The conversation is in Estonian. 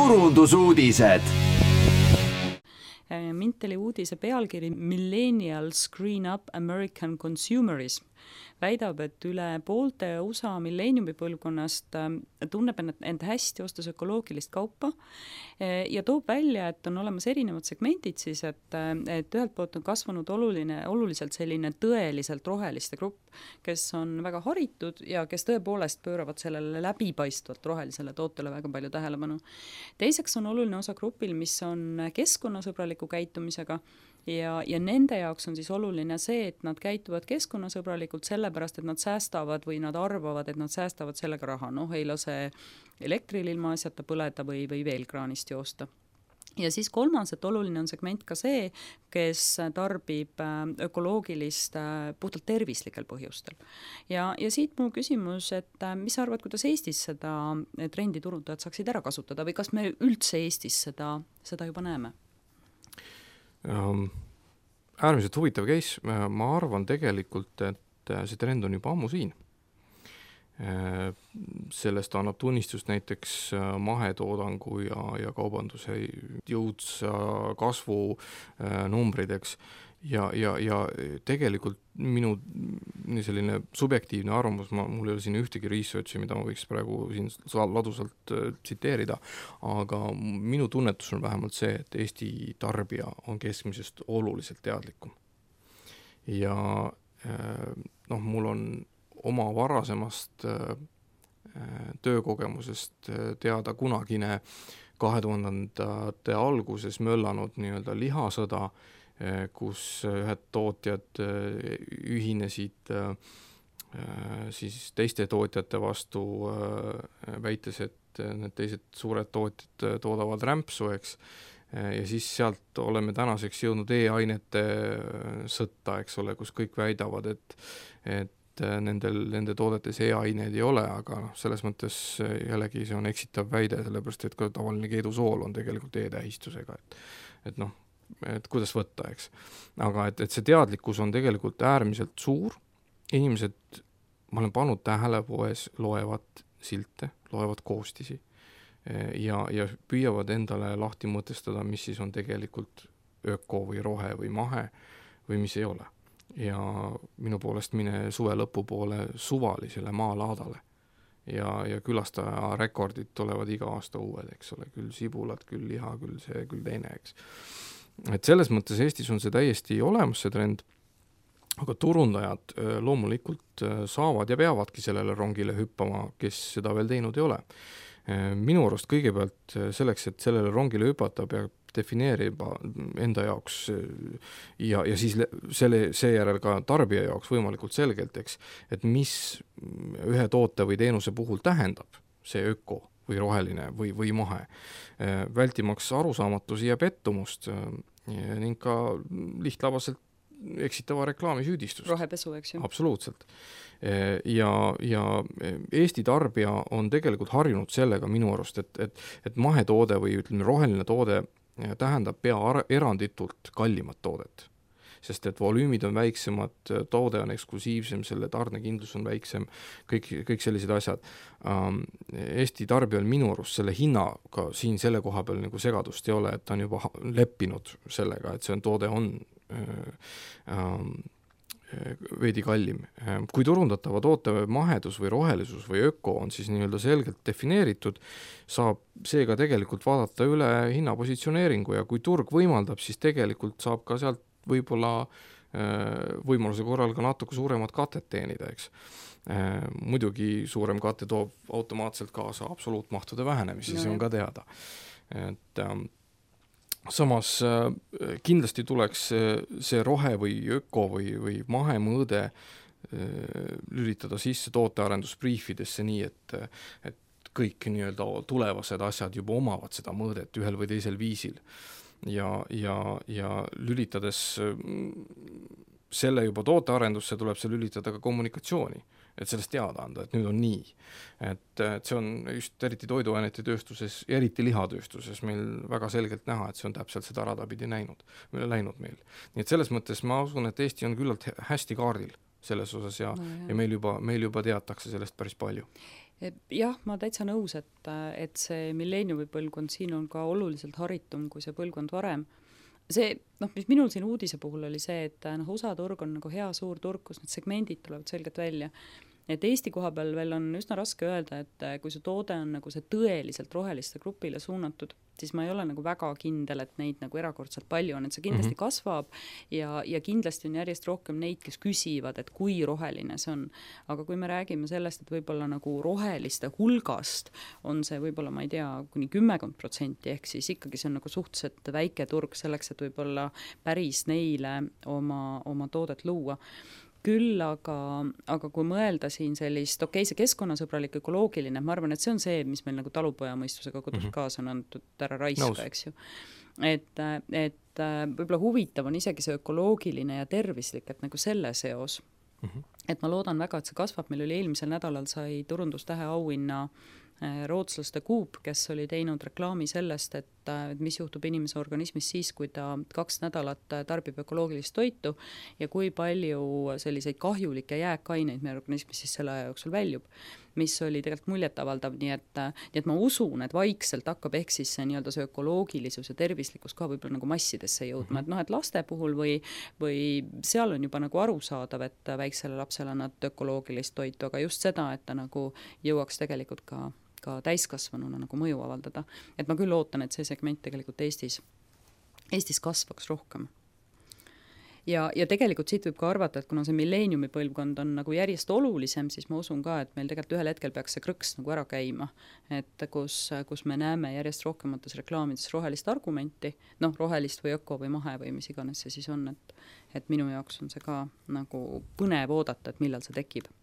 turundusuudised. Minteli uudise pealkiri Millennials Screen Up American Consumerism väidab, et üle poolte USA milleeniumi põlvkonnast tunneb end hästi ostes ökoloogilist kaupa ja toob välja, et on olemas erinevad segmendid siis, et ühelt poolt on kasvanud oluliselt selline tõeliselt roheliste grupp, kes on väga haritud ja kes tõepoolest pööravad sellele läbipaistvalt rohelisele tootele väga palju tähelepanu. Teiseks on oluline osa grupil, mis on keskkonnasõbraliku käitumisega ja nende jaoks on siis oluline see, et nad käituvad keskkonnasõbralikult sellepärast, et nad säästavad või nad arvavad, et nad säästavad sellega raha. Ei lase elektril ilma asjata põleda või veel kraanist joosta. Ja siis kolmas, et oluline on segment ka see, kes tarbib ökoloogilist puhtalt tervislikel põhjustel. Ja siit mu küsimus, et mis sa arvad, kuidas Eestis seda trendi turundajad saaksid ära kasutada või kas me üldse Eestis seda juba näeme? Äärmiselt huvitav case, ma arvan tegelikult, et see trend on juba ammu siin. Sellest annab tunnistust näiteks mahetoodangu ja kaubanduse jõudsa kasvu numbrideks ja tegelikult minu selline subjektiivne arvamus, mul ei ole siin ühtegi researchi, mida ma võiks praegu siin ladusalt tsiteerida, aga minu tunnetus on vähemalt see, et Eesti tarbija on keskmisest oluliselt teadlikum. Ja mul on oma varasemast töökogemusest teada kunagine 2000-ndate alguses möllanud nii-öelda lihasõda, kus ühed tootjad ühinesid siis teiste tootjate vastu, väites, et need teised suured tootjad toodavad rämpsu, eks. Ja siis sealt oleme tänaseks jõudnud e-ainete sõtta, eks ole, kus kõik väidavad, et nende toodetes e-aineid ei ole, aga selles mõttes jällegi see on eksitav väide, sellepärast et ka tavaline keedusool on tegelikult e-tähistusega, et kuidas võtta, eks. Aga et see teadlikkus on tegelikult äärmiselt suur. Inimesed, ma olen pannud tähele poes, loevad silte, loevad koostisi ja püüavad endale lahti mõtestada, mis siis on tegelikult öko või rohe või mahe või mis ei ole. Ja minu poolest mine suve lõpupoole suvalisele maalaadale ja külastaja rekordid tulevad iga aasta uued, eks ole, küll sibulad, küll liha, küll see, küll teine, eks. Et selles mõttes Eestis on see täiesti olemas, see trend, aga turundajad loomulikult saavad ja peavadki sellele rongile hüppama, kes seda veel teinud ei ole. Minu arust kõigepealt selleks, et sellele rongile hüpata, peab defineerima enda jaoks ja siis seejärel ka tarbija jaoks võimalikult selgelt, eks, et mis ühe toote või teenuse puhul tähendab see öko või roheline või mahe. Vältimaks arusaamatusi ja pettumust ning ka lihtlabaselt eksitava reklaami süüdistust. Rohepesu, eks ju? Absoluutselt. Ja Eesti tarbija on tegelikult harjunud sellega minu arust, et mahetoode või ütleme roheline toode tähendab eranditult kallimat toodet. Sest et volüümid on väiksemad, toode on eksklusiivsem, selle tarnekindlus on väiksem, kõik sellised asjad. Eesti tarbijal minu arust selle hinnaga siin selle koha peal nagu segadust ei ole, et ta on juba leppinud sellega, et see toode on veidi kallim. Kui turundatava toote mahedus või rohelisus või öko on siis nii-öelda selgelt defineeritud, saab seega tegelikult vaadata üle hinnapositsioneeringu ja kui turg võimaldab, siis tegelikult saab ka sealt võib-olla võimaluse korral ka natuke suuremat katet teenida, eks. Muidugi suurem kate toob automaatselt kaasa absoluutmahtude vähenemisi, see on ka teada. Et samas kindlasti tuleks see rohe või öko või mahemõõde lülitada sisse tootearendusbriifidesse nii, et kõik nii-öelda tulevased asjad juba omavad seda mõõdet ühel või teisel viisil. Ja lülitades selle juba tootearendusse tuleb see lülitada ka kommunikatsiooni, et sellest teada anda, et nüüd on nii. Et see on just eriti toiduainete tööstuses, eriti lihatööstuses meil väga selgelt näha, et see on täpselt seda radapidi läinud meil. Nii et selles mõttes ma usun, et Eesti on küllalt hästi kaardil selles osas ja meil juba teatakse sellest päris palju. Jah, ma täitsa nõus, et see milleeniumi põlvkond siin on ka oluliselt haritum kui see põlvkond varem. See, mis minul siin uudise puhul oli see, et USA turg on nagu hea suur turg, kus need segmendid tulevad selgelt välja. Et Eesti koha peal veel on üsna raske öelda, et kui see toode on nagu see tõeliselt roheliste grupile suunatud, siis ma ei ole nagu väga kindel, et neid nagu erakordselt palju on, et see kindlasti kasvab ja kindlasti on järjest rohkem neid, kes küsivad, et kui roheline see on. Aga kui me räägime sellest, et võib-olla nagu roheliste hulgast on see võib-olla, ma ei tea, kuni 10%, ehk siis ikkagi see on nagu suhteliselt väike turg selleks, et võib-olla päris neile oma toodet luua. Küll aga kui mõelda siin sellist, see keskkonnasõbralik ökoloogiline, ma arvan, et see on see, mis meil nagu talupoja mõistusega kodus kaasa on antud ära raiska, eks ju. Et võib-olla huvitav on isegi see ökoloogiline ja tervislik, et nagu selle seos. Et ma loodan väga, et see kasvab. Meil oli eelmisel nädalal sai turundustähe auhinna rootslaste Coop, kes oli teinud reklaami sellest, et mis juhtub inimese organismis siis, kui ta 2 nädalat tarbib ökoloogilist toitu ja kui palju selliseid kahjulikke jääkaineid meie organismis siis selle aja jooksul väljub, mis oli tegelikult muljetavaldav, nii et ma usun, et vaikselt hakkab ehk siis see nii-öelda see ökoloogilisus ja tervislikkus ka võib-olla nagu massidesse jõudma, et laste puhul või seal on juba nagu arusaadav, et väiksele lapsele nad ökoloogilist toitu, aga just seda, et ta nagu jõuaks tegelikult ka täiskasvanuna nagu mõju avaldada. Et ma küll ootan, et see segment tegelikult Eestis kasvaks rohkem. Ja tegelikult siit võib ka arvata, et kuna see milleeniumi põlvkond on nagu järjest olulisem, siis ma usun ka, et meil tegelikult ühel hetkel peaks see krõks nagu ära käima, et kus me näeme järjest rohkemates reklaamides rohelist argumenti, rohelist või öko või mahe või mis iganes see siis on, et minu jaoks on see ka nagu põnev oodata, et millal see tekib.